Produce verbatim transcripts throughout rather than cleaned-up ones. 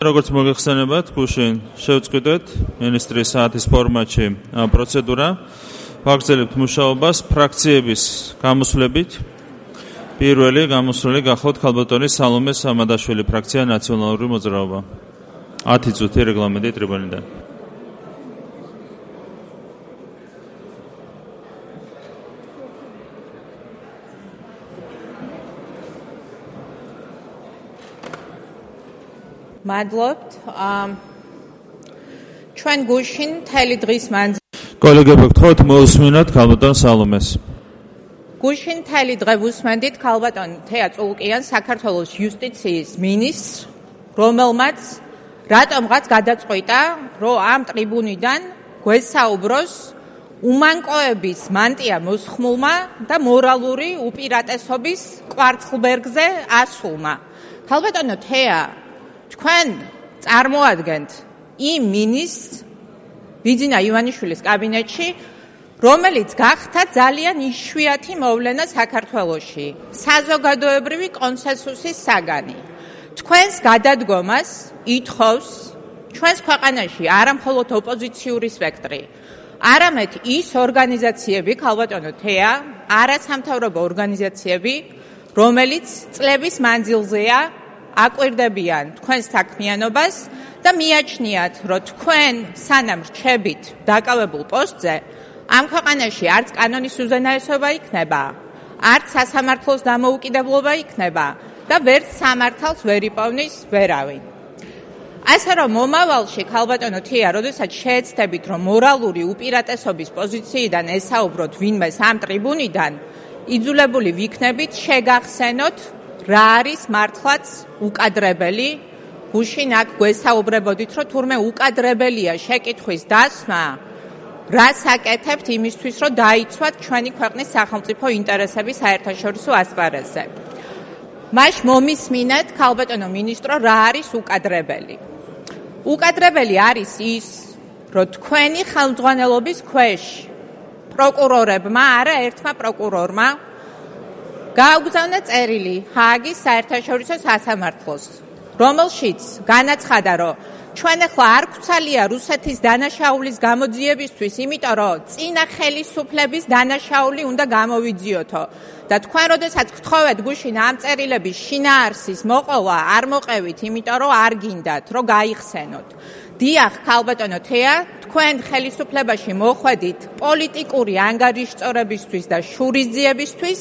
როგორც მოგეხსენებათ, გუშინ შევწყვიტეთ მინისტრის საათის ფორმატში პროცედურა. ვაგრძელებთ მუშაობას ფრაქციების გამოსვლებით. პირველი გამოსვლელი გახლავთ ქალბატონის სალომე სამადაშვილი, ფრაქცია ნაციონალური მოძრაობა. ათი წუთი რეგლამენტი ტრიბუნიდან. მადლობთ. ჩვენ გუშინ მთელი დღის მანძილზე კოლეგებო, გთხოვთ მოусმინოთ ქალბატონ სალომეს. გუშინ მთელი დღე ვუსმენდით ქალბატონ თეა წულკიანს, საქართველოს იუსტიციის მინისტრს, რომელმაც რატომღაც გადაწყვიტა, რომ ამ ტრიბუნიდან გვესაუბროს უმანკოების მანტია მოსხმულმა და მორალური უპირატესობის კვარცხლბერგზე ასულმა. ქალბატონო თეა, თქვენ წარმოადგენთ იმ მინისტრს ბიძინა ივანიშვილის კაბინეტში, რომელიც გახდა ძალიან იშვიათი მოვლენა საქართველოში, საზოგადოებრივი კონსენსუსის საგანი. თქვენს გადადგომას ითხოვს ჩვენს ქვეყანაში არა მხოლოდ ოპოზიციური სპექტრი, არამედ ის ორგანიზაციები, ქალბატონო თეა, არასამთავრობო ორგანიზაციები, რომელიც წლების მანძილზეა აკვირდებიან თქვენს საქმიანობას და მიაჩნიათ, რომ თქვენ სანამ რჩებით დაკავებულ პოსტზე, ამ ქვეყანაში არც კანონის უზენაესობა იქნება, არც სასამართლოს დამოუკიდებლობა იქნება და ვერც სამართალს ვერ იპოვნის ვერავინ. ასე რომ მომავალში, ქალბატონო თეა, როდესაც შეეცდებით, რომ მორალური უპირატესობის პოზიციიდან ესაუბროთ ვინმეს ამ ტრიბუნიდან, იძულებული ვიქნებით შეგახსენოთ რა არის მართლაც უკადრებელი. გუშინ აქ გვესაუბრებოდით, რომ თურმე უკადრებელია შეკითხვის დასმა, რას აკეთებთ იმისთვის, რომ დაიცვათ ჩვენი ქვეყნის სახელმწიფო ინტერესების საერთაშორისო ასპარეზზე. მაშ მომისმინეთ, ქალბატონო მინისტრო, რა არის უკადრებელი. უკადრებელი არის ის, რომ თქვენი ხელმძღვანელობის ქვეშ პროკურორებმა, არა ერთმა პროკურორმა გააგზავნა წერილი ჰააგის საერთაშორისო სასამართლოს, რომელშიც განაცხადა, რომ ჩვენ ახლა არ გვცალია რუსეთის დანაშაულის გამოძიებისთვის, იმიტომ რომ წინა ხელისუფლების დანაშაული უნდა გამოვიძიოთო. და თქვენ როდესაც გთხოვეთ გუშინ ამ წერილების შინაარსის მოყოლა, არ მოყევით, იმიტომ რომ არ გინდათ, რომ გაიხსენოთ. დიახ, ქალბატონო თეა, თქვენ ხელისუფლებაში მოხვედით პოლიტიკური ანგარიშწორებისთვის და შურისძიებისთვის,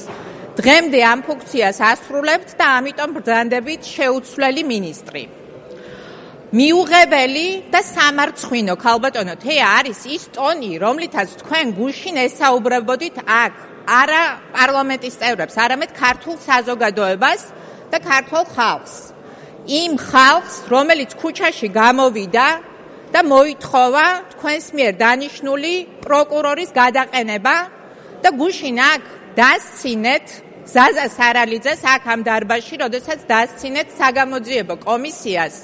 დღემდე ამ ფუნქციას ასრულებთ და ამიტომ ბრძანდებით შეუცვლელი მინისტრი. მიუღებელი და სამარცხვინო, ქალბატონო თეა, არის ის ტონი, რომლითაც თქვენ გუშინ ესაუბრებოდით აქ არა პარლამენტის წევრებს, არამედ ქართულ საზოგადოებას და ქართულ ხალხს. იმ ხალხს, რომელიც ქუჩაში გამოვიდა და მოითხოვა თქვენს მიერ დანიშნული პროკურორის გადაყენება და გუშინ აქ დასცინეთ ზაზა სარალიძეს აქ ამ დარბაზში, როდესაც დასცინეთ საგამოძიებო კომისიას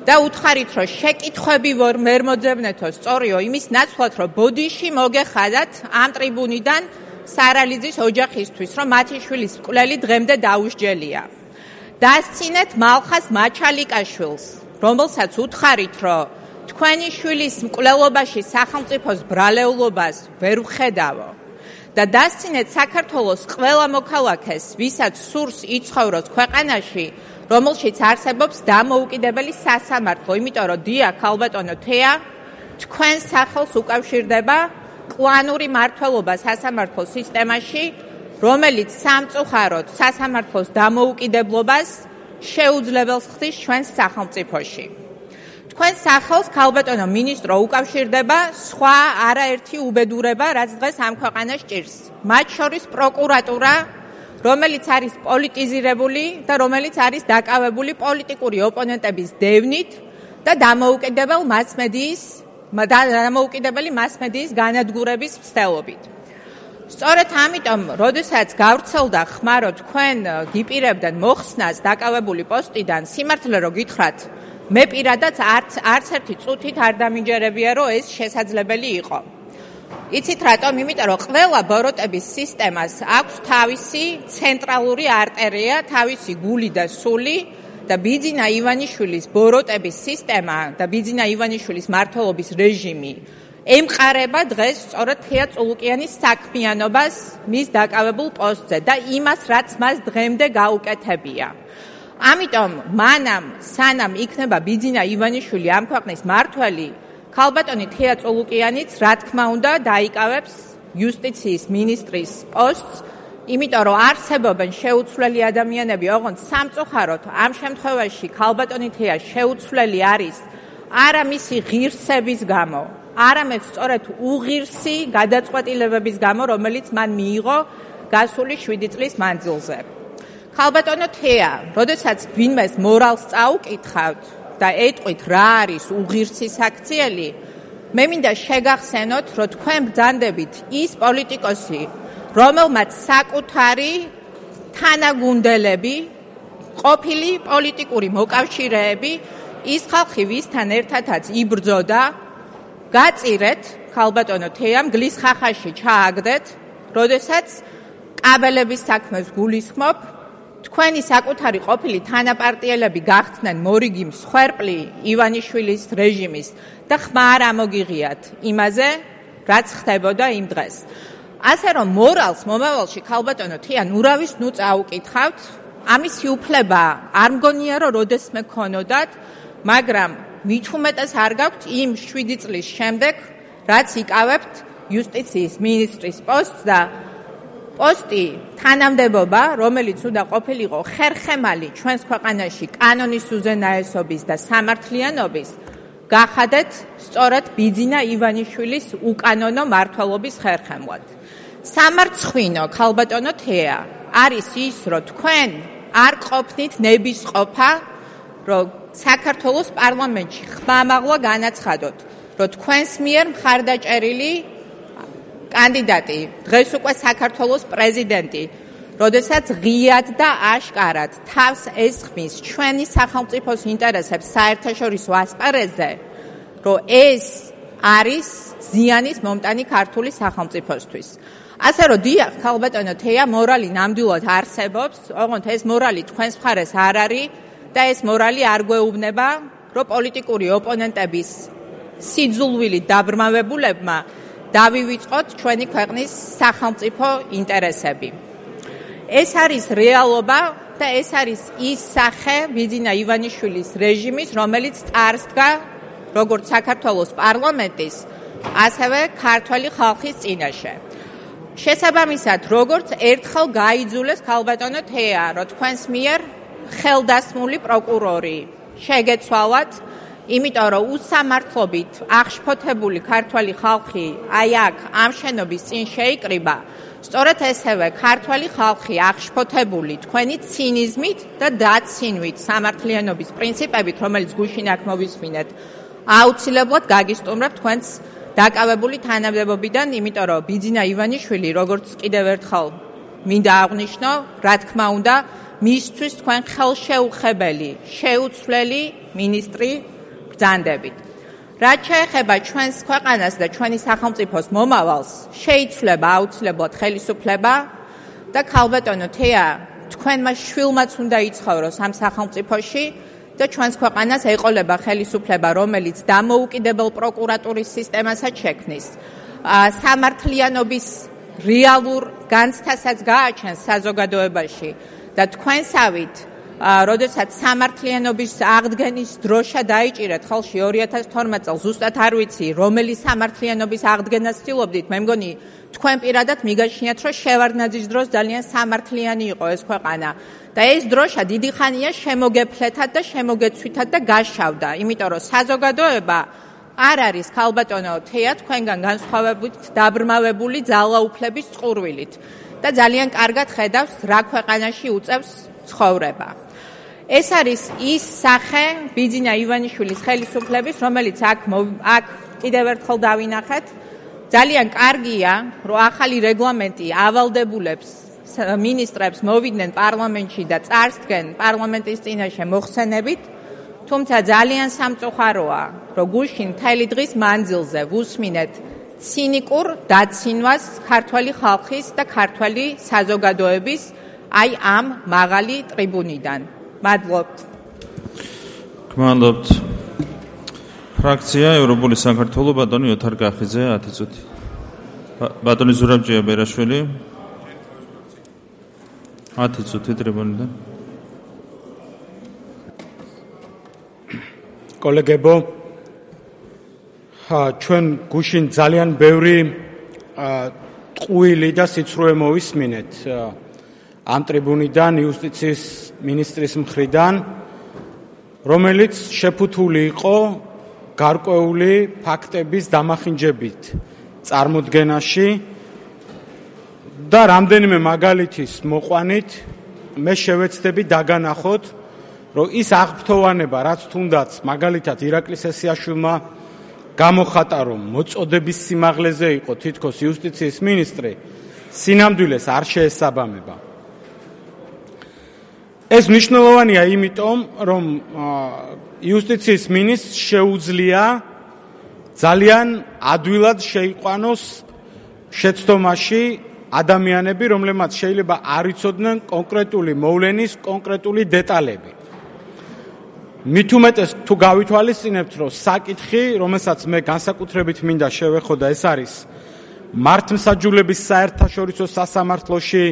და უთხარით, რომ შეკითხვები ვერ მოძებნეთო სწორიო იმის ნაცვლად, რომ ბოდიში მოგეხადათ ამ ტრიბუნიდან სარალიძის ოჯახისთვის, რომ მათი შვილის მკვლელი დღემდე დაუსჯელია. დასცინეთ მალხას მაჩალიკაშვილს, რომელსაც უთხარით, რომ თქვენი შვილის მკვლელობაში სახელმწიფოს ბრალეულობას ვერ ვხედავო. და დასცინეთ საქართველოს ყველა მოქალაქეს, ვისაც სურს იცხოვროს ქვეყანაში, რომელშიც არსებობს დამოუკიდებელი სასამართლო, იმიტომ რომ დიახ, ქალბატონო თეა, თქვენ სახელს უკავშირდება კლანური მმართველობა სასამართლო სისტემაში, რომელიც სამწუხაროდ სასამართლოს დამოუკიდებლობას შეუძლებელს ხდის ჩვენს სახელმწიფოში. თქვენ სახელს, ქალბატონო მინისტრო, უკავშირდება სხვა არაერთი უბედურება, რაც დღეს ამ ქვეყანას ჭირს. მათ შორის პროკურატურა, რომელიც არის პოლიტიზირებული და რომელიც არის დაკავებული პოლიტიკური ოპონენტების დევნით და დამოუკიდებელ მასმედიის დამოუკიდებელი მასმედიის განადგურების მცდელობით. სწორედ ამიტომ, როდესაც გავრცელდა ხმა, რომ თქვენ გიპირებდეთ მოხსნას დაკავებული პოსტიდან, სიმართლე რომ გითხრათ, მე პირადად არც არც ერთი წუთით არ დამინჯერებია, რომ ეს შესაძლებელი იყო. იცით რატომ? იმიტომ რომ ყველა ბოროტების სისტემას აქვს თავისი ცენტრალური არტერია, თავისი გული და სული და ბიძინა ივანიშვილის ბოროტების სისტემა და ბიძინა ივანიშვილის მმართველობის რეჟიმი ემყარება დღეს სწორედ თეა წულუკიანის საქმიანობას მის დაკავებულ პოსტზე და იმას, რაც მას დღემდე გაუკეთებია. ამიტომ მანამ სანამ იქნება ბიძინა ივანიშვილი ამ ქვეყნის მმართველი, ქალბატონი თეა წულუკიანიც რა თქმა უნდა დაიკავებს იუსტიციის მინისტრის პოსტს, იმიტომ რომ არსებობენ შეუცვლელი ადამიანები, ოღონდ სამწუხაროდ ამ შემთხვევაში ქალბატონი თეა შეუცვლელი არის არა მისი ღირსების გამო, არამედ სწორედ უღირსი გადაწყვეტილებების გამო, რომელიც მან მიიღო გასული შვიდი წლის მანძილზე. ქალბატონო თეა, როდესაც ვინმეს მორალს წაუკითხავთ და ეტყვით რა არის უღირსი საქციელი, მე მინდა შეგახსენოთ, რომ თქვენ ბრძანდებით ის პოლიტიკოსი, რომელმაც საკუთარი თანაგუნდელები, ყოფილი პოლიტიკური მოკავშირეები, ის ხალხი ვისთან ერთადაც იბრძოდა, გაწირეთ ქალბატონო თეამ გლის ხახაში ჩააგდეთ, როდესაც კაბელების საქმეს გულისხმობ, თქვენი საკუთარი ყოფილი თანაპარტიელები გახდნენ მორიგი მსხვერპლი ივანიშვილის რეჟიმის და ხმა არ ამოგიღიათ იმაზე, რაც ხდებოდა იმ დღეს. ასე რომ მორალს მომავალში ქალბატონო თეა ნურავის ნუ წაუკითხავთ, ამისი უფლება არ მგონია რომ როდესმე ქონოდათ, მაგრამ მით უმეტეს არ გაქვთ იმ შვიდი წლის შემდეგ, რაც იკავებთ იუსტიციის მინისტრის პოსტს და პოსტი თანამდებობა, რომელიც უნდა ყოფილიყო ხერხემალი ჩვენს ქვეყანაში კანონის უზენაესობის და სამართლიანობის, გახადეთ სწორედ ბიძინა ივანიშვილის უკანონო მმართველობის ხერხემლად. სამარცხვინო ქალბატონო თეა არის ის, რომ თქვენ არ ყოფნით ნებისყოფა, რომ საქართველოს პარლამენტში ხმამაღლა განაცხადოთ, რომ თქვენს მიერ მხარდაჭერილი კანდიდატი, დღეს უკვე საქართველოს პრეზიდენტი, როდესაც ღიად და აშკარად თავს ესხმის ჩვენი სახელმწიფოს ინტერესებს საერთაშორისო ასპარეზზე, რომ ეს არის ზიანის მომტანი ქართული სახელმწიფოსთვის. ასე რომ დიახ, ქალბატონო თეა, მორალი ნამდვილად არსებობს, ოღონდ ეს მორალი თქვენს მხარეს არ არის და ეს მორალი არ გვეუბნება, რომ პოლიტიკური ოპონენტების სიძულვილით დაბრმავებულებმა დავივიწყოთ ჩვენი ქვეყნის სახელმწიფო ინტერესები. ეს არის რეალობა და ეს არის ის სახე ბიძინა ივანიშვილის რეჟიმის, რომელიც წარსდგა როგორც საქართველოს პარლამენტის, ასევე ქართველი ხალხის წინაშე. შესაბამისად, როგორც ერთხელ გაიძულეს ქალბატონო თეა, რომ თქვენს მიერ ხელდასმული პროკურორი შეგეცვალათ, იმიტომ რომ უსამართლობით აღშფოთებული ქართველი ხალხი აი აქ ამ შენობის წინ შეიკრიბა, სწორედ ესევე ქართველი ხალხი აღშფოთებული თქვენი ცინიზმით და დაცინვით სამართლიანობის პრინციპებით, რომელიც გუშინ აქ მოვისმინეთ, აუცილებლად გაგისტუმრებთ თქვენს დაკავებული თანამდებობიდან, იმიტომ რომ ბიძინა ივანიშვილი, როგორც კიდევ ერთხელ მინდა აღვნიშნო, რა თქმა უნდა, მისთვის თქვენ ხელშეუხებელი, შეუცვლელი მინისტრი ბრძანდებით. რაც შეეხება ჩვენს ქვეყანას და ჩვენი სახელმწიფოს მომავალს, შეიცვლება აუცილებლად ხელისუფლება და ქალბატონო თეა, თქვენმა შვილმაც უნდა იცხოვროს ამ სახელმწიფოში და ჩვენს ქვეყანას ეყოლება ხელისუფლება, რომელიც დამოუკიდებელ პროკურატურის სისტემასაც შექმნის. სამართლიანობის რეალურ განცდასაც გააჩენს საზოგადოებაში და თქვენსავით, როდესაც სამართლიანობის აღდგენის დროშა დაიჭირეთ ხელში ორი ათას თორმეტ წელს, ზუსტად არ ვიცი, რომელი სამართლიანობის აღდგენას ცდილობდით, მე მგონი თქვენ პირადად მიგაჩნიათ, რომ შევარდნაძის დროს ძალიან სამართლიანი იყო ეს ქვეყანა და ეს დროშა დიდი ხანია შემოგეფლეთად და შემოგეცვითად და გაშავდა, იმიტომ რომ საზოგადოება არ არის ქალბატონო თეა თქვენგან განსხვავებით დაბრმავებული ძალაუფლების წყურვილით და ძალიან კარგად ხედავს, რა ქვეყანაში უწევს ცხოვრება. ეს არის ის სახე ბიძინა ივანიშვილის ხელისუფლების, რომელიც აქ აქ კიდევ ერთხელ დავინახეთ. ძალიან კარგია, რომ ახალი რეგლამენტი ავალდებულებს მინისტრებს მოვიდნენ პარლამენტში და წარსდგენ პარლამენტის წინაშე მოხსენებით, თუმცა ძალიან სამწუხაროა, რომ გუშინ მთელი დღის მანძილზე ვუსმინეთ ცინიკურ დაცინვას ქართველი ხალხის და ქართველი საზოგადოების აი ამ მაღალი ტრიბუნიდან. მადლობთ. გმადლობთ. ფრაქცია ევროპული საქართველო ბატონი ოთარ კახიძე ათი წუთი. ბატონი ზურაბჯია ბერაშვილი ათი წუთი ტრიბუნიდან. კოლეგებო, ჩვენ გუშინ ძალიან ბევრი ტყუილი და სიცრუე მოვისმინეთ ამ ტრიბუნიდან იუსტიციის მინისტრის მხრიდან, რომელიც შეფუთული იყო გარკვეული ფაქტების დამახინჯებით წარმოდგენაში და რამდენიმე მაგალითის მოყვანით მე შევეცდები დაგანახოთ, რომ ის აღფრთოვანება, რაც თუნდაც მაგალითად ირაკლი სესიაშვილმა გამოხატა, რომ მოწოდების სიმაღლეზე იყო თითქოს იუსტიციის მინისტრი, სინამდვილეს არ შეესაბამება. ეს მნიშვნელოვანია იმიტომ, რომ იუსტიციის მინისტრს შეუძლია ძალიან ადვილად შეიყვანოს შეცდომაში ადამიანები, რომლებმაც შეიძლება არ იცოდნენ კონკრეტული მოვლენის კონკრეტული დეტალები. მით უმეტეს თუ გავითვალისწინებთ, რომ საკითხი, რომელსაც მე განსაკუთრებით მინდა შევეხო და ეს არის მართლმსაჯულების საერთაშორისო სასამართლოში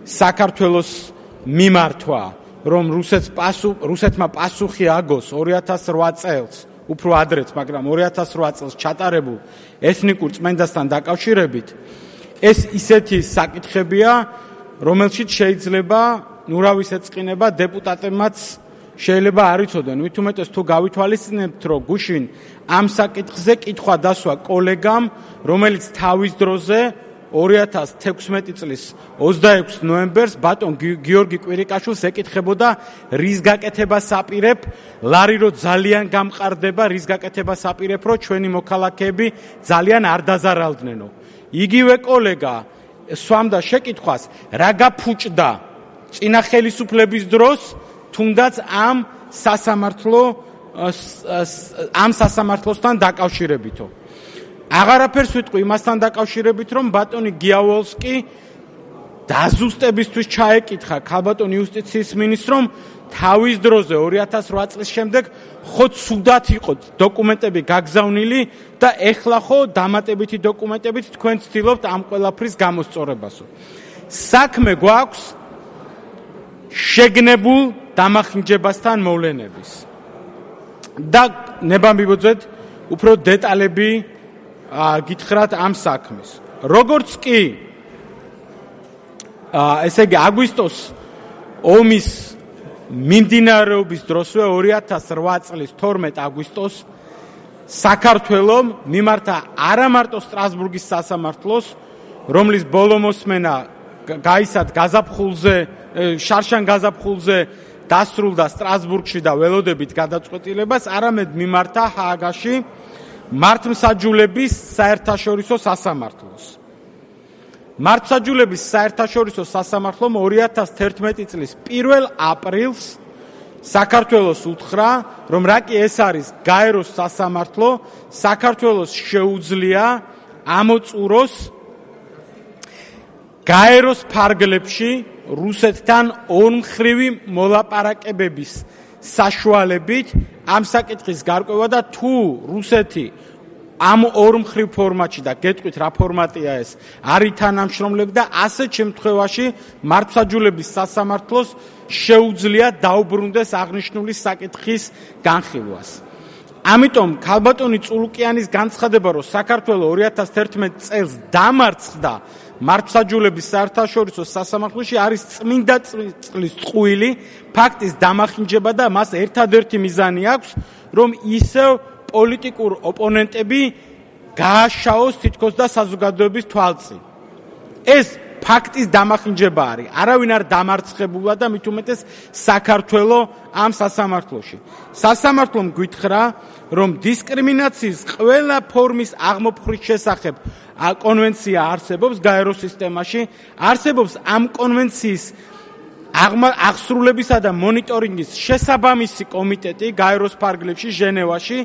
საქართველოს მიმართვა, რომ რუსეთს პასუ რუსეთმა პასუხი აგოს ორი ათას რვა წელს, უფრო ადრეც, მაგრამ ორი ათას რვა წელს ჩატარებულ ეთნიკურ წმენდასთან დაკავშირებით, ეს ისეთი საკითხებია, რომელშიც შეიძლება ნურავის ეწყინება დეპუტატებმაც შეიძლება არ იცოდნენ. მით უმეტეს თუ გავითვალისწინებთ, რომ გუშინ ამ საკითხზე კითხვა დასვა კოლეგამ, რომელიც თავის დროზე ორი ათას თექვსმეტი წლის ოცდაექვსი ნოემბერს ბატონ გიორგი კვირიკაშვილს ეკითხებოდა, რის გაკეთებას აპირებ, ლარი რო ძალიან გამყარდება, რის გაკეთებას აპირებ, რომ ჩვენი მოქალაქეები ძალიან არ დაზარალდნენო. იგივე კოლეგა სვამდა შეკითხვას, რა გაფუჭდა წინა ხელისუფლების დროს თუნდაც ამ სასამართლო ამ სასამართლოსთან დაკავშირებითო. აღარაფერს ვიტყვი იმასთან დაკავშირებით, რომ ბატონი გიავალსკი დაზუსტებისთვის ჩაეკითხა ქალბატონ იუსტიციის მინისტრს, თავის დროზე ორი ათას რვა წლის შემდეგ ხო ცუდად იყო დოკუმენტები გაგზავნილი და ეხლა ხო დამატებითი დოკუმენტებით თქვენ ცდილობთ ამ ყველაფრის გამოსწორებასო. საქმე გვაქვს შეგნებულ დამახინჯებასთან მოვლენების. და ნება მივუძეთ უფრო დეტალები გითხრათ ამ საქმის. როგორც კი ესე იგი აგვისტოს ომის მიმდინარეობის დროსვე ორი ათას რვა წლის თორმეტი აგვისტოს საქართველომ მიმართა არა მარტო სტრასბურგის სასამართლოს, რომლის ბოლო მოსმენა გაისად გაზაფხულზე, შარშან გაზაფხულზე დასრულდა სტრასბურგში და ველოდებით გადაწყვეტილებას, არამედ მიმართა ჰააგაში მართლმსაჯულების საერთაშორისო სასამართლოს. მართლმსაჯულების საერთაშორისო სასამართლომ ორი ათას თერთმეტი წლის პირველ აპრილს საქართველოს უთხრა, რომ რა კი ეს არის გაეროს სასამართლო, საქართველოს შეუძლია ამოწუროს გაეროს ფარგლებში რუსეთთან ორმხრივი მოლაპარაკებების საშუალებით ამ საკითხის გარკვევა და თუ რუსეთი ამ ორმხრივ ფორმატში და გეტყვით რა ფორმატია ეს არ ითანამშრომლებდა, ასეთ შემთხვევაში მართლმსაჯულების სასამართლოს შეუძლია დაუბრუნდეს აღნიშნული საკითხის განხილვას. ამიტომ ქალბატონი წულუკიანის განცხადება, რომ საქართველოს ორი ათას თერთმეტი წელს დამარცხდა მართლმსაჯულების საერთაშორისო სასამართლოში, არის წმინდა წყლის წყვილი, ფაქტის დამახინჯება და მას ერთადერთი მიზანი აქვს, რომ ისევ პოლიტიკურ ოპონენტები გააშაოს თითქოს და საზოგადოების თვალწინ. ეს ფაქტის დამახინჯება არის. არავინ არ დამარცხებულა და მით უმეტეს საქართველოს ამ სასამართლოში. სასამართლომ გითხრა, რომ დისკრიმინაციის ყველა ფორმის აღმოფხვრის შესახებ კონვენცია არსებობს გაეროს სისტემაში, არსებობს ამ კონვენციის აღსრულებისა და მონიტორინგის შესაბამისი კომიტეტი გაეროს ფარგლებში ჟენევაში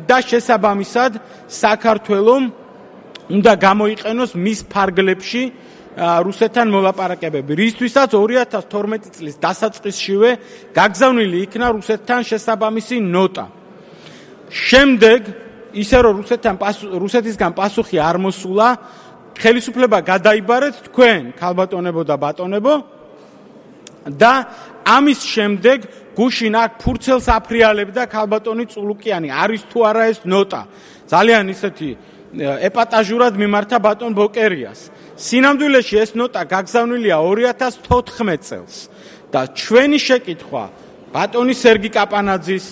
და შესაბამისად საქართველოს უნდა გამოიყენოს მის ფარგლებში რუსეთთან მოლაპარაკებები, რისთვისაც ორი ათას თორმეტი წლის დასაწყისშივე გაგზავნილი იქნა რუსეთთან შესაბამისი ნოტა. შემდეგ ისე რომ რუსეთთან რუსეთისგან პასუხი არ მოსულა, ხელისუფლება გადაიბარეთ თქვენ, ქალბატონებო და ბატონებო და ამის შემდეგ გუშინ აქ ფურცელს აფრიალებდა ქალბატონი წულუკიანი, არის თუ არა ეს ნოტა. ძალიან ისეთი ეპატაჟურად მიმართა ბატონ ბოკერიას. სინამდვილეში ეს ნოტა გაგზავნილია ორი ათას თოთხმეტ წელს და ჩვენი შეკითხვა ბატონი სერგი კაპანაძის,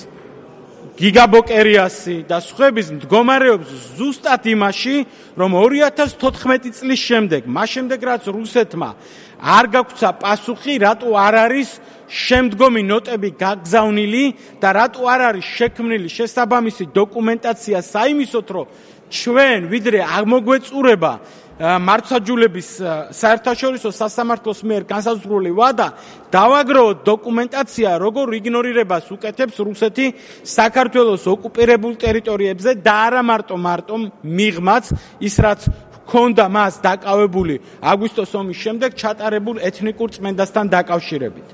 გიგა ბოკერიასი და სხვების მდგომარეობს ზუსტად იმაში, რომ ორი ათას თოთხმეტი წლის შემდეგ, მას შემდეგ რაც რუსეთმა არ გაგვცა პასუხი, რატო არ არის შემდგომი ნოტები გაგზავნილი და რატო არ არის შექმნილი შესაბამისი დოკუმენტაცია საიმისოთ, რომ ჩვენ ვიდრე აღმოგვეწურება მართლმსაჯულების საერთაშორისო სასამართლოს მიერ განსაზღვრული ვადა, დავაგროვოთ დოკუმენტაცია, როგორ იგნორირებას უკეთებს რუსეთი საქართველოს ოკუპირებულ ტერიტორიებზე და არა მარტო მარტო მიღმაც ის რაც ჰქონდა მას დაკავებული აგვისტოს ომის შემდეგ ჩატარებულ ეთნიკურ წმენდასთან დაკავშირებით.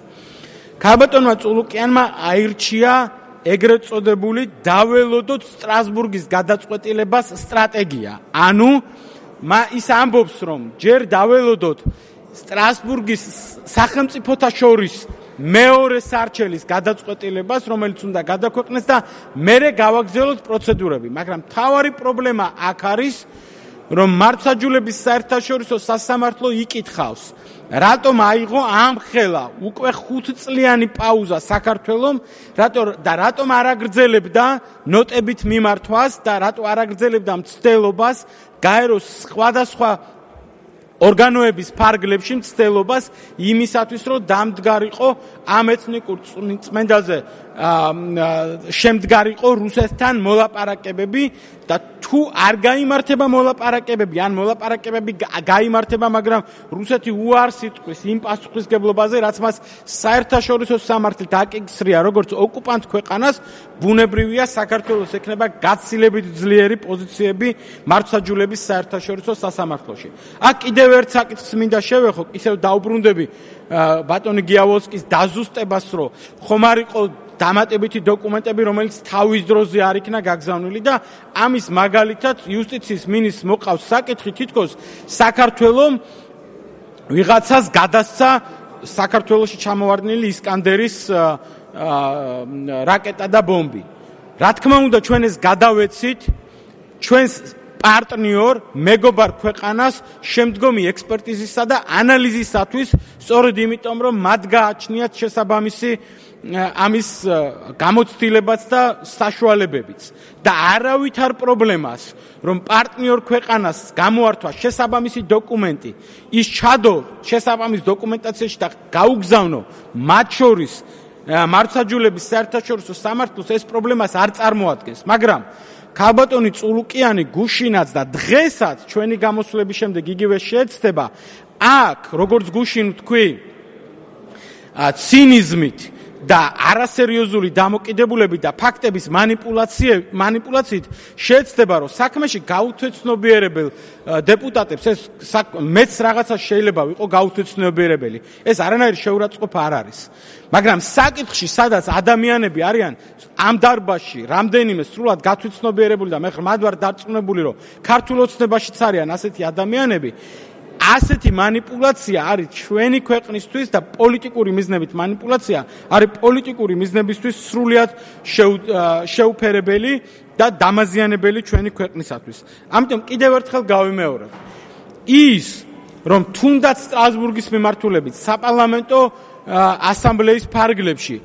ქალბატონმა წულუკიანმა აირჩია ეგრეთ წოდებული დაველოდოთ სტრასბურგის გადაწყვეტილებას სტრატეგია. ანუ ის ამბობს, რომ ჯერ დაველოდოთ სტრასბურგის სახელმწიფოთა შორის მეორე სარჩელის გადაწყვეტილებას, რომელიც უნდა გადაქვეყნეს და მერე გავაგრძელოთ პროცედურები. მაგრამ მთავარი პრობლემა აქ არის, რომ მართლმსაჯულების საერთაშორისო სასამართლო იკითხავს, რატომ აიღო ამხელა უკვე ხუთწლიანი პაუზა საქართველომ, რატო და რატომ არ აგრძელებდა ნოტებით მიმართვას და რატო არ აგრძელებდა მცდელობას გაეროს სხვადასხვა ორგანოების ფარგლებში მცდელობას იმისათვის, რომ დამდგარიყო ამ ეთნიკურ წმენდაზე შემდგარიყო რუსეთთან მოლაპარაკებები და თუ არ გაიმართება მოლაპარაკებები, ან მოლაპარაკებები გაიმართება, მაგრამ რუსეთი უარს იტყვის იმ პასუხისგებლობაზე, რაც მას საერთაშორისო სამართლით აკისრია, როგორც ოკუპანტ ქვეყანას, ბუნებრივია საქართველოს ექნება გაცილებით ძლიერი პოზიციები მართლმსაჯულების საერთაშორისო სასამართლოში. აქ კიდევ ერთ საკითხს მინდა შევეხო, ისევ დაუბრუნდები ბატონი გიავოსკის დაზუსტებას, რომ ხომ არ იყო დამატებითი დოკუმენტები, რომელიც თავის დროზე არ იქნა გაგზავნილი და ამის მაგალითად იუსტიციის მინისტრს მოყავს საკითხი, თითქოს საქართველოს ვიღაცას გადასცა საქართველოში ჩამოვარდნილი ისკანდერის რაკეტა და ბომბი. რა თქმა უნდა, ჩვენ ეს გადავეცით ჩვენს პარტნიორ მეგობარ ქვეყანას შემდგომი ექსპერტიზისა და ანალიზისათვის, სწორედ იმიტომ, რომ მათ გააჩნიათ შესაბამისი ამის გამოცდილებაც და საშუალებებიც და არავითარ პრობლემას, რომ პარტნიორ ქვეყანას გამოართვა შესაბამისი დოკუმენტი, ის ჩადო შესაბამის დოკუმენტაციაში და გაუგზავნო მათ შორის მართლმსაჯულების საერთაშორისო სამართლოს, ეს პრობლემას არ წარმოადგენს, მაგრამ ქალბატონი წულუკიანი გუშინაც და დღესაც ჩვენი გამოსვლების შემდეგ იგივე შეეცდება, აქ როგორც გუშინ თქვი, ცინიზმით და არასერიოზული დამოკიდებულებით და ფაქტების მანიპულაციით შეეცდება, რომ საქმეში გაუთვეცნობიერებელ დეპუტატებს ეს მეც რაღაცა შეიძლება ვიყო გაუთვეცნობიერებელი. ეს არანაირი შეურაცხყოფა არ არის. მაგრამ საკითხში, სადაც ადამიანები არიან ამ დარბაზში რამდენიმე სრულად გათვითცნობიერებული და მე ხმად ვარ დარწმუნებული, რომ ქართულ ოცნებაშიც არიან ასეთი ადამიანები, ასეთი манипуляция არის ჩვენი ქვეყნისთვის და პოლიტიკური მიზნებით манипуляция არის პოლიტიკური მიზნებისთვის სრულად შეუფერებელი და დამაზიანებელი ჩვენი ქვეყნისათვის. ამიტომ კიდევ ერთხელ გავიმეორებ. ის, რომ თუნდაც სტრასბურგის მიმართულებით საპარლამენტო ასამბლეის ფარგლებში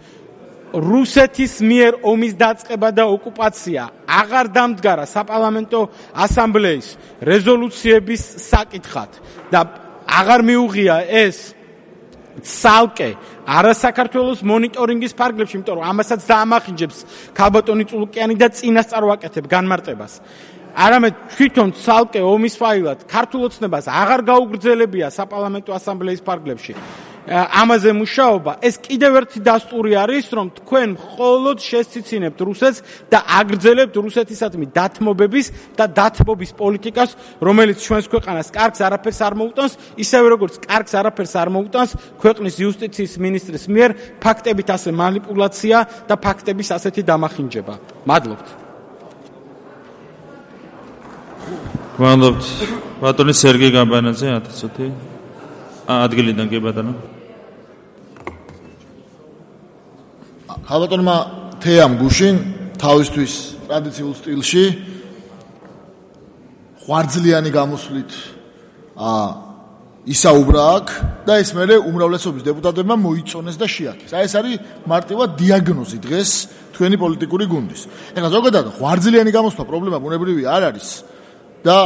რუსეთის მიერ ომის დაწყება და ოკუპაცია აღარ დამდგარა საპარლამენტო ასამბლეის რეზოლუციების საკითხად და აღარ მიუღია ეს ცალკე არა საქართველოს მონიტორინგის ფარგლებში, იმიტომ რომ ამასაც დაამახინჯებს ქალბატონი წულუკიანი და წინასწარ ვაკეთებ განმარტებას. არამედ თვითონ ცალკე ომის ფაილად ქართულ ოცნებას აღარ გაუგრძელებია საპარლამენტო ასამბლეის ფარგლებში. ამაზე მუშაობა, ეს კიდევ ერთი დასტური არის, რომ თქვენ მხოლოდ შესციცინებთ რუსეთს და აგრძელებთ რუსეთისადმი დათმობების და დათმობის პოლიტიკას, რომელიც ჩვენს ქვეყანას კარგს არაფერს არ მოუტანს, ისევე როგორც კარგს არაფერს არ მოუტანს ქვეყნის იუსტიციის მინისტრის მიერ ფაქტებით ასე манипуляция და ფაქტების ასეთი დამახინჯება. მადლობთ. მადლობთ. ბატონი სერგეი გამბანაძე ათი წუთი. ადგილიდან კი ბატონო. ხალბატონმა თეამ გუშინ თავისთვის ტრადიციულ სტილში ხვარძლიანი გამოსვლით ისაუბრა აქ და ეს მერე უმრავლესობის დეპუტატებმა მოიწონეს და შეაქეს. აი ეს არის მარტივად დიაგნოზი დღეს თქვენი პოლიტიკური გუნდის. ეხლა ზოგადად ხვარძლიანი გამოსვლა პრობლემა ბუნებრივი არ არის და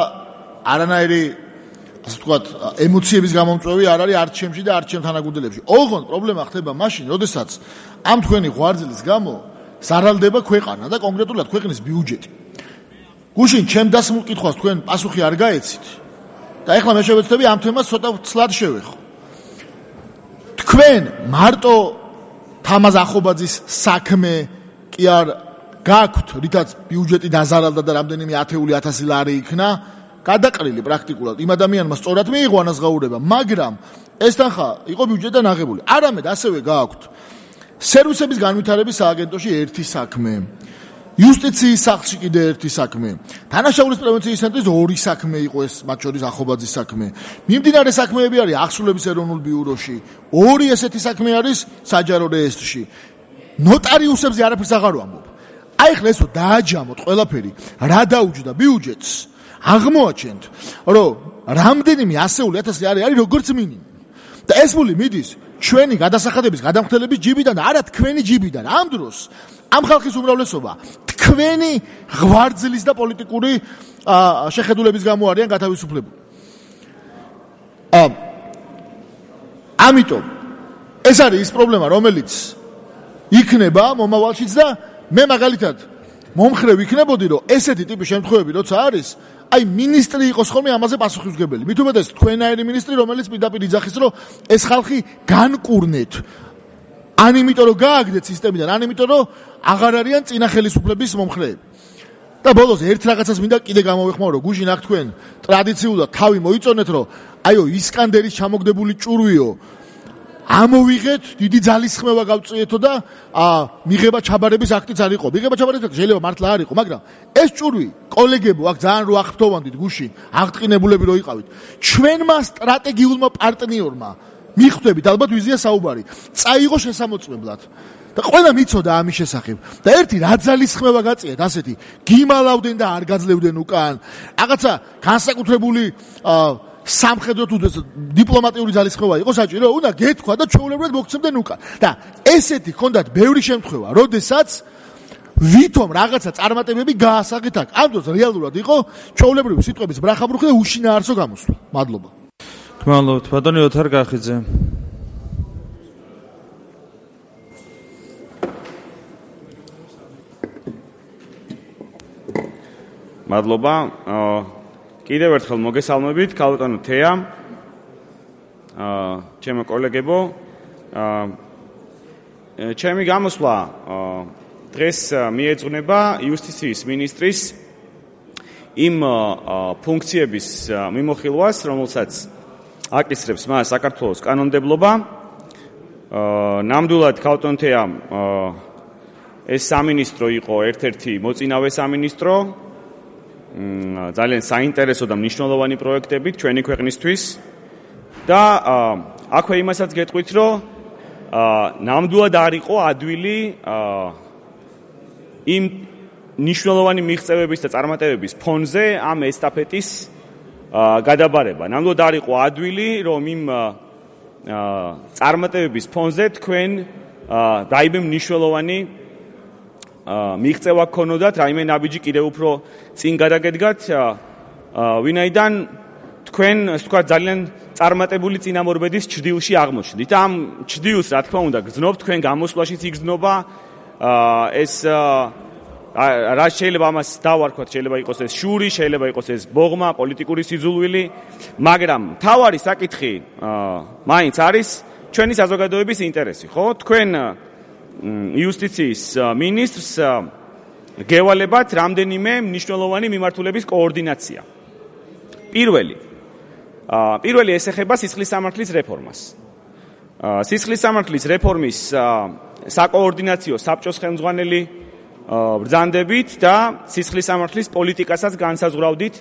არანაირი ასე ვთქვათ, ემოციების გამომწვევი არ არის არჩევნებში და არჩევნ თანაგუნდელებში. ოღონდ პრობლემა ხდება მაშინ, როდესაც ამ თქვენი ღვარძლის გამო ზარალდება ქვეყანა და კონკრეტულად ქვეყნის ბიუჯეტი. გუშინ ჩემ დასმულ კითხვას თქვენ პასუხი არ გაეცით და ეხლა მე შევეცდები ამ თემას ცოტა ცლად შევეხო. თქვენ მარტო თამაზ ახობაძის საქმე კი არ გაქვთ, რითაც ბიუჯეტი დაზარალდა და რამდენიმე ათეული ათასი ლარი იქნა, გადაყრილი პრაქტიკულად იმ ადამიანმა სწორად მიიღო ანაზღაურება, მაგრამ ეს თანხა იყო ბიუჯეტიდან აღებული. არამედ ასევე გააქვთ სერვისების განვითარების სააგენტოში ერთი საქმე, იუსტიციის სახლში კიდე ერთი საქმე, თანაშაულის პრევენციის ცენტრის ორი საქმე იყო ეს, მათ შორის ახობაძის საქმე. მიმდინარე საქმეები არის ახსულების ეროვნულ ბიუროში, ორი ესეთი საქმე არის საჯარო რეესტრში. ნოტარიუსებზე არაფერს აღარ ვამბობ. აი ხლა ესო დააჯამოთ ყველაფერი, რა დაუჯდა ბიუჯეტს? აღმოაჩენთ, რომ რამდენიმე ასეული ათასი არის არის როგორც მინიმუმ. და ეს ფული მიდის ჩვენი გადასახადების გადამხდელების ჯიბიდან და არა თქვენი ჯიბიდან. ამ დროს ამ ხალხის უმრავლესობა თქვენი ღვარძლის და პოლიტიკური შეხედულების გამო არიან გათავისუფლებული. ამიტომ ეს არის ის პრობლემა, რომელიც იქნება მომავალშიც და მე მაგალითად მომხრე ვიქნებოდი, რომ ესეთი ტიპის შემთხვევები როცა არის, აი მინისტრი იყოს ხოლმე ამაზე პასუხისმგებელი. მით უმეტეს თქვენაერი მინისტრი, რომელიც პირდაპირ იძახის, რომ ეს ხალხი განკურნეთ. ან იმიტომ რომ გააგდეთ სისტემიდან, ან იმიტომ რომ აღარ არიან წინა ხელისუფლების მომხრეები. და ბოლოს ერთ რაღაცას მინდა კიდე გამოვეხმაურო, გუშინ აქ თქვენ ტრადიციულად თავი მოიწონეთ, რომ აიო ისკანდერის ჩამოგდებული ჭურვიო ამოვიღეთ, დიდი ძალისხმევა გავწიეთო და მიღება ჩაბარების აქტიც არ იყო. მიღება ჩაბარების აქტი შეიძლება მართლა არ იყო, მაგრამ ეს ჭურვი კოლეგებო აქ ძალიან რო აღფრთოვანდით გუშინ, აღტყინებულები რო იყავით. ჩვენმა სტრატეგიულმა პარტნიორმა მიხვდებით ალბათ ვიზია საუბარი. წაიღო შესამოწმებლად. და ყველა მიცოდა ამის შესახებ. და ერთი რა ძალისხმევა გაწიეთ ასეთი, გიმალავდნენ და არ გაძლევდნენ უკან. რაღაცა განსაკუთრებული სამხედრო თუ დიპლომატიური ძალისხმევა იყო საჭირო, უნდა გეთქვა და ჩვეულებრივად მოგცემდნენ უკან. და ესეთი ჰქონდათ ბევრი შემთხვევა, როდესაც ვითომ რაღაცა წარმატებები გაასაღეთ აქ. ამ დროს რეალურად იყო ჩვეულებრივი სიტყვების ბრახაბრუხი და უშინაარსო გამოსვლა. მადლობა. გმადლობთ, ბატონი ოთარ გახიძე. მადლობა. კიდევ ერთხელ მოგესალმებით, ქალბატონო თეა, ჩემო კოლეგებო. ჩემი გამოსვლა დღეს მიეძღვნება იუსტიციის მინისტრის იმ ფუნქციების მიმოხილვას, რომელსაც აკისრებს მას საქართველოს კანონმდებლობა. ნამდვილად ქალბატონო თეა ეს სამინისტრო იყო ერთ-ერთი მოწინავე სამინისტრო. ძალიან საინტერესო და მნიშვნელოვანი პროექტებით ჩვენი ქვეყნისთვის და აქვე იმასაც გეტყვით, რომ ნამდვილად არ იყო ადვილი იმ მნიშვნელოვანი მიღწევების და წარმატებების ფონზე ამ ესტაფეტის გადაბარება. ნამდვილად არ იყო ადვილი, რომ იმ წარმატებების ფონზე თქვენ რაიმე მნიშვნელოვანი მიღწევა გქონოდათ, რაიმე ნაბიჯი კიდევ უფრო წინ გადაგედგათ, ვინაიდან თქვენ, ასე ვთქვათ, ძალიან წარმატებული წინამორბედის ჭრდილში აღმოჩნდით. ამ ჭრდილს, რა თქმა უნდა, გძნობთ, თქვენ გამოსვლაშიც იგრძნობა ეს რა შეიძლება ამას დავარქვათ, შეიძლება იყოს ეს შური, შეიძლება იყოს ეს ბოღმა, პოლიტიკური სიძულვილი, მაგრამ მთავარი საკითხი მაინც არის ჩვენი საზოგადოების ინტერესი, ხო? თქვენ იუსტიციის მინისტრს გევალებათ რამდენიმე მნიშვნელოვანი მიმართულების კოორდინაცია. პირველი პირველი ეს ეხება სისხლის სამართლის რეფორმას. სისხლის სამართლის რეფორმის საკოორდინაციო საბჭოს ხელმძღვანელი ბრძანდებით და სისხლის სამართლის პოლიტიკასაც განსაზღვრავდით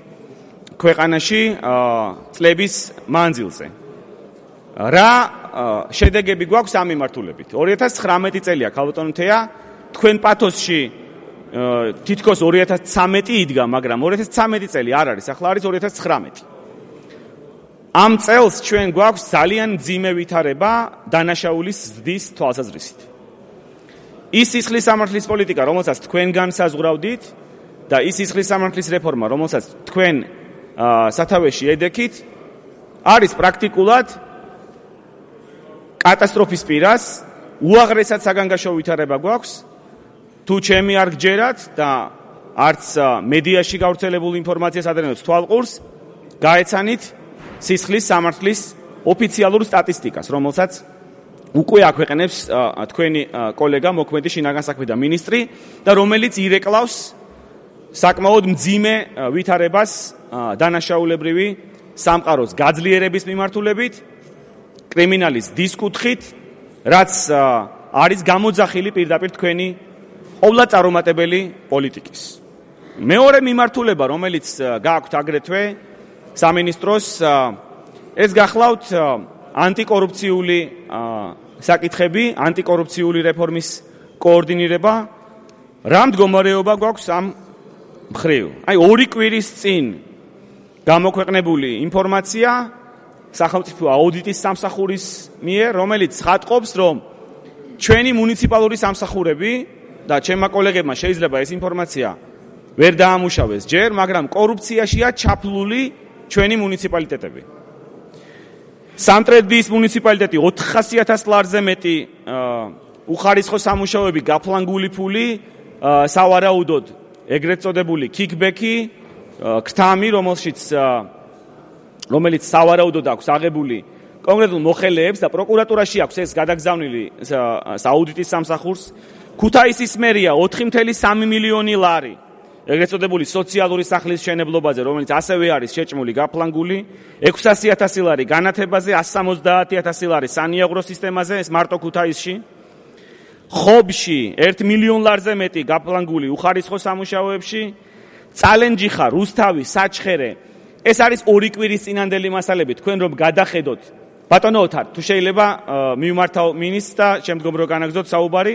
ქვეყანაში წლების მანძილზე. რა შედეგები გვაქვს ამ მიმართულებით? ორი ათას ცხრამეტი წელია, ქალბატონო თეა, თქვენ პათოსში თითქოს ორი ათას ცხრამეტი იდგა, მაგრამ ორი ათას ცხრამეტი წელი არ არის, ახლა არის ორი ათას ცხრამეტი. ამ წელს ჩვენ გვაქვს ძალიან მძიმე ვითარება დანაშაულის ზრდის თვალსაზრისით. ის სისხლის სამართლის პოლიტიკა, რომელსაც თქვენ განსაზღვრავდით და ის სისხლის სამართლის რეფორმა, რომელსაც თქვენ სათავეში ედექით, არის პრაქტიკულად კატასტროფის პირას, უაღრესად საგანგაშო ვითარება გვაქვს, თუ ჩემი არ გჯერათ და არც მედიაში გავრცელებულ ინფორმაციას ადრენოთ თვალყურს, გაეცანით სისხლის სამართლის ოფიციალურ სტატისტიკას, რომელსაც უკვე აქვეყნებს თქვენი კოლეგა მოქმედი შინაგან საქმეთა მინისტრი და რომელიც ირეკლავს საკმაოდ მძიმე ვითარებას დანაშაულებრივი სამყაროს გაძლიერების მიმართულებით, კრიმინალის დისკუთხით, რაც არის გამოძახილი პირდაპირ თქვენი ყოვლადწარუმატებელი პოლიტიკის. მეორე მიმართულება, რომელიც გააქვთ აგრეთვე სამინისტროს, ეს გახლავთ ანტიკორუფციული საკითხები, ანტიკორუფციული რეფორმის კოორდინირება. რა მდგომარეობა გვაქვს ამ მხრივ? აი ორი კვირის წინ გამოქვეყნებული ინფორმაცია სახელმწიფო აუდიტის სამსახურის მიერ, რომელიც ხატყობს, რომ ჩვენი მუნიციპალური სამსახურები და ჩემმა კოლეგებმა შეიძლება ეს ინფორმაცია ვერ დაამუშავეს ჯერ, მაგრამ კორუფციაშია ჩაფლული ჩვენი მუნიციპალიტეტები. სამტრედიის მუნიციპალიტეტი ოთხასი ათას ლარზე მეტი უხარისხო სამუშაოები, გაფლანგული ფული, სავარაუდოდ ეგრეთ წოდებული კიკბექი, ქტამი, რომელშიც რომელიც სავარაუდოდ აქვს აღებული კონკრეტულ მოხელეებს და პროკურატურაში აქვს ეს გადაგზავნილი აუდიტის სამსახურს. ქუთაისის მერია ოთხი კoma სამი მილიონი ლარი ეგრეთ წოდებული სოციალური სახლის მშენებლობაზე, რომელიც ასევე არის შეჭმული, გაფლანგული, ექვსასი ათასი ლარი განათებაზე, ასი სამოცდაათი ათასი ლარი სანიაღრო სისტემაზე, ეს მარტო ქუთაისში. ხობში ერთ მილიონ ლარზე მეტი გაფლანგული უხარისხო სამუშაოებში, წალენჯიხა, რუსთავი, საჩხერე. ეს არის ორი კვირის წინანდელი მასალები, თქვენ რომ გადახედოთ. ბატონო ოთარ, თუ შეიძლება მივმართავ მინისტრს და შემდგომ რო განაგზოთ საუბარი.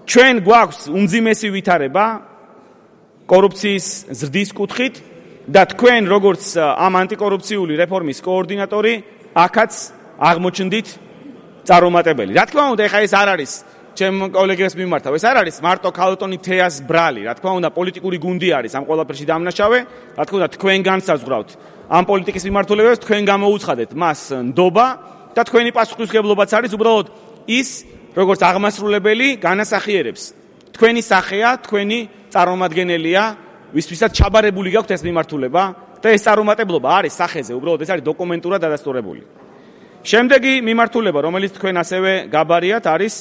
ჩვენ გვაქვს უმძიმესი ვითარება კორუფციის ზრდის კუთხით და თქვენ როგორც ამ ანტიკორუფციული რეფორმის კოორდინატორი აქაც აღმოჩნდით წარუმატებელი. რა თქმა უნდა, ეხა ეს არ არის ჩემ კოლეგებს მიმართავ, ეს არ არის მარტო ქალბატონი თეას ბრალი, რა თქმა უნდა, პოლიტიკური გუნდი არის ამ ყველაფერში დამნაშავე, რა თქმა უნდა, თქვენ განსაზღვრავთ ამ პოლიტიკის მიმართულებებს, თქვენ გამოუცხადეთ მას ნდობა და თქვენი პასუხისმგებლობაც არის უბრალოდ ის, როგორც აღმასრულებელი განასახიერებს. თქვენი სახეა, თქვენი წარმომადგენელია, ვისთვისაც ჩაბარებული გაქვთ ეს მიმართულება და ეს წარუმატებლობა არის სახეზე, უბრალოდ ეს არის დოკუმენტურად დადასტურებული. შემდეგი მიმართულება, რომელიც თქვენ ასევე გაბარიათ, არის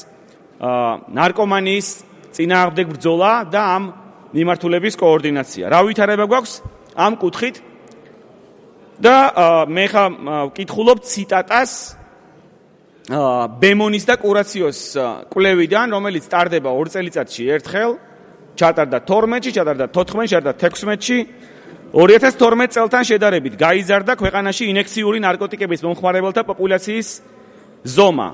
ნარკომანიის წინააღმდეგ ბრძოლა და ამ მიმართულების კოორდინაცია. რა ვითარება გვაქვს ამ კუთხით? და მე ხა ვკითხულობ ციტატას ბემონის და კურაციოს კვლევიდან, რომელიც ტარდება ორ წელიწადში ერთხელ, ჩატარდა თორმეტში, ჩატარდა თოთხმეტში, ჩატარდა თექვსმეტში. ორი ათას თორმეტ წელთან შედარებით გაიზარდა ქვეყანაში ინექციური ნარკოტიკების მომხმარებელთა პოპულაციის ზომა.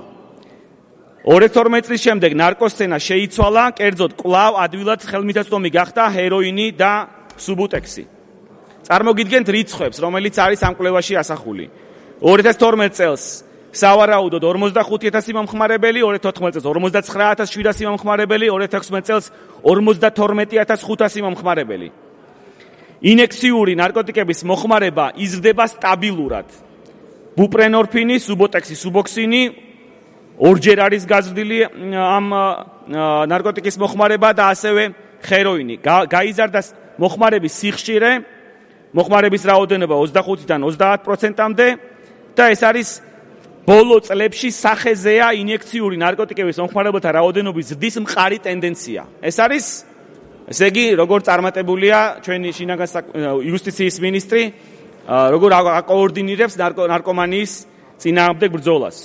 ორი ათას თორმეტ წლის შემდეგ ნარკოსცენა შეიცვალა, კერძოდ კვლავ ადვილად ხელმისაწვდომი გახდა ჰეროინი და სუბუტექსი. წარმოგიდგენთ რიცხვებს, რომელიც არის ამ კვლევაში ასახული. ორი ათას თორმეტ წელს სავარაუდოდ ორმოცდახუთი ათასი მომხმარებელი, ორი ათას თოთხმეტ წელს ორმოცდაცხრა ათას შვიდასი მომხმარებელი, ორი ათას ექვსმეტ წელს ორმოცდათორმეტი ათას ხუთასი მომხმარებელი. ინექციური ნარკოტიკების მოხმარება იზრდება სტაბილურად. ბუპრენორფინი, სუბოტექსი, სუბოქსინი ორჯერ არის გაზრდილი ამ ნარკოტიკის მოხმარება და ასევე ჰეროინი. გაიზარდა მოხმარების სიხშირე, მოხმარების რაოდენობა ოცდახუთიდან ოცდაათ პროცენტამდე და ეს არის ბოლო წლებში სახეზეა ინიექციური ნარკოტიკების მომხმარებელთა რაოდენობის ზრდის მყარი ტენდენცია. ეს არის, ესე იგი, როგორ წარმატებულია ჩვენი შინაგან იუსტიციის მინისტრი, როგორ აკოორდინირებს ნარკომანიის წინააღმდეგ ბრძოლას.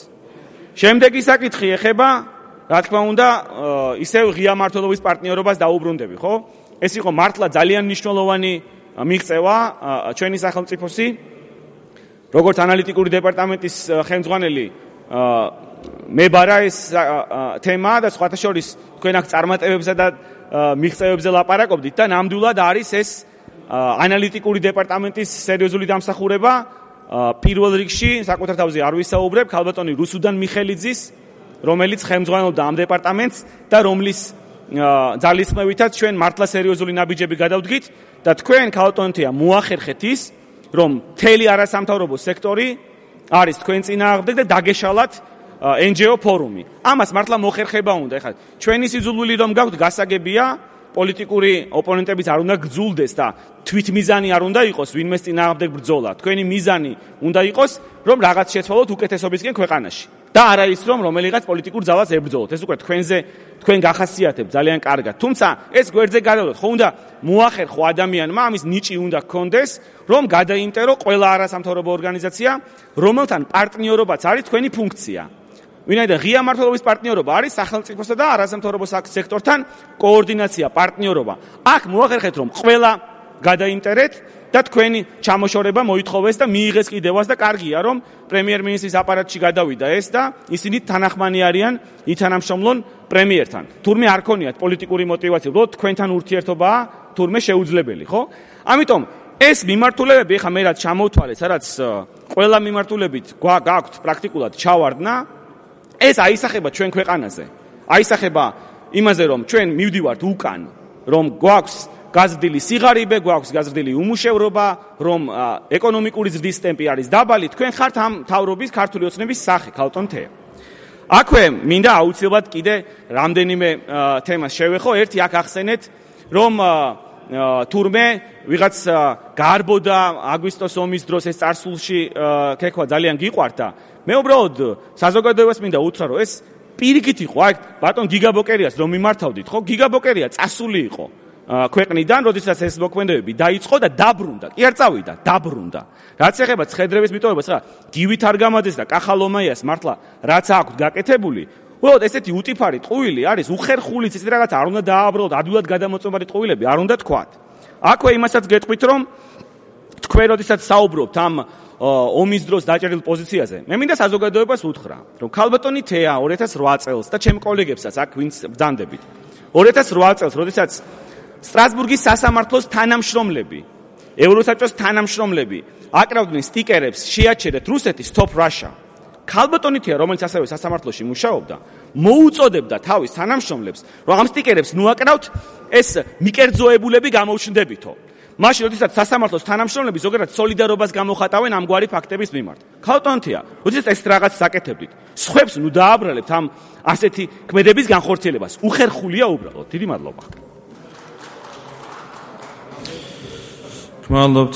შემდეგი საკითხი ეხება, რა თქმა უნდა, ისევ ღია მმართველობის პარტნიორობას დაუბრუნდები, ხო? ეს იყო მართლა ძალიან მნიშვნელოვანი მიღწევა ჩვენი სახელმწიფოსი, როგორც ანალიტიკური დეპარტამენტის ხელმძღვანელი მებარა ეს თემა და სხვათა შორის თქვენ აქ წარმატებებსა და მიღწევებზე ლაპარაკობდით და ნამდვილად არის ეს ანალიტიკური დეპარტამენტის სერიოზული დამსახურება. პირველ რიგში საკუთარ თავზე არ ვისაუბრებ, ქალბატონი რუსუდან მიხელიძის, რომელიც ხელმძღვანელობდა ამ დეპარტამენტს და რომლის ძალისხმევითაც ჩვენ მართლა სერიოზული ნაბიჯები გადავდგით და თქვენ ქალბატონთია მოახერხეთ ის, რომ მთელი არასამთავრობო სექტორი არის თქვენ წინააღმდეგ და დაგეშალათ εν ჯი ო ფორუმი. ამას მართლა მოხერხება უნდა. ეხლა ჩვენი სიძულვილი რომ გაქვთ, გასაგებია, პოლიტიკური ოპონენტებიც არ უნდა გძულდეს და თვითმიზანი არ უნდა იყოს ვინმეს წინააღმდეგ ბრძოლა. თქვენი მიზანი უნდა იყოს, რომ რაღაც შეცვალოთ უკეთესობისკენ ქვეყანაში. და არა ის, რომ რომელიღაც პოლიტიკურ ძალას ებრძოლოთ. ეს უკვე თქვენზე თქვენ გახასიათებთ ძალიან კარგად. თუმცა ეს გვერდზე გადავლოთ, ხო უნდა მოახერხო ადამიანმა, ამის ნიჭი უნდა გქონდეს, რომ გადაიმტერო ყველა არასამთავრობო ორგანიზაცია, რომელთან პარტნიორობაც არის თქვენი ფუნქცია. ვინაიდან ღია მმართველობის პარტნიორობა არის სახელმწიფოსა და არასამთავრობო სექტორთან კოორდინაცია, პარტნიორობა. აქ მოახერხეთ, რომ ყველა გადაიმტერეთ და თქვენი ჩამოშორება მოითხოვეს და მიიღეს კიდევაც და კარგია, რომ პრემიერ-მინისტრის აპარატში გადავიდა ეს და ისინი თანახმანი არიან ითანამშრომლონ პრემიერთან. თურმე არ ქონიათ პოლიტიკური мотиваცია, უბრალოდ თქვენთან ურთიერთობაა თურმე შეუძლებელი, ხო? ამიტომ ეს მიმართულებები ეხა მე რაც ჩამოვთვალე, სადაც ყველა მიმართულებით გაქვთ პრაქტიკულად ჩავარდნა, ეს აისახება ჩვენ ქვეყანაზე. აისახება იმაზე, რომ ჩვენ მივდივართ უკან, რომ გვაქვს გაზრდილი სიღარიბე, გვაქვს გაზრდილი უმუშევრობა, რომ ეკონომიკური ზრდის ტემპი არის დაბალი, თქვენ ხართ ამ თავრობის ქართული ოცნების სახე, ქალბატონ თეა. აქვე მინდა აუცილებლად კიდე რამდენიმე თემას შევეხო. ერთი აქ ახსენეთ, რომ თურმე ვიღაც გარბოდა აგვისტოს ომის დროს ეს წარსულში ქექვა ძალიან გიყვართ და მე უბრალოდ საზოგადოებას მინდა უთხრა, რომ ეს პირიქით იყო, აი ბატონ გიგაბოკერიას რომ მიმართავდით, ხო? გიგაბოკერია წასული იყო ქვეყნიდან, როდესაც ეს მოქმედებები დაიწყო და დაბრუნდა. კი არ წავიდა, დაბრუნდა. რაც ეხება ცხედრების მიტოვებას, რა, გივით არ გამადეს და კახალომაიას მართლა რაც აქვს გაკეთებული, უბრალოდ ესეთი უტიფარი ტყუილი არის, უხერხულიც ესეთი რაღაც არ უნდა დააბრუნოთ, ადვილად გადამოწმობარი ტყუილები არ უნდა თქვათ. აქვე იმასაც გეტყვით, რომ თქვენ როდესაც საუბრობთ ამ ომის დროს დაჭერილ პოზიციაზე, მე მინდა საზოგადოებას უთხრა, რომ ქალბატონი თეა ორი ათას რვა წელს და ჩემ კოლეგებსაც აქ ვინც ბრძანდებით. ორი ათას რვა წელს, როდესაც სტრასბურგის სასამართლოს თანამშრომლები, ევროსაბჭოს თანამშრომლები აკრავდნენ სტიკერებს, შეაჩერეთ რუსეთი Stop Russia. ქალბატონი თეა, რომელიც ასევე სასამართლოში მუშაობდა, მოუწოდებდა თავის თანამშრომლებს, რომ ამ სტიკერებს ნუაკრავთ, ეს მიკერძოებულები გამოუჩნდებითო. მაშინ, როდესაც სასამართლოს თანამშრომლები ზოგადად სოლიდარობას გამოხატავენ ამგვარი ფაქტების მიმართ. ქალბატონი თეა, როდესაც ეს რაღაც საკეთებდით, სხვებს ნუ დააბრალებთ ამ ასეთი ქმედების განხორციელებას. უხერხულია უბრალოდ. დიდი მადლობა. გმადლობთ.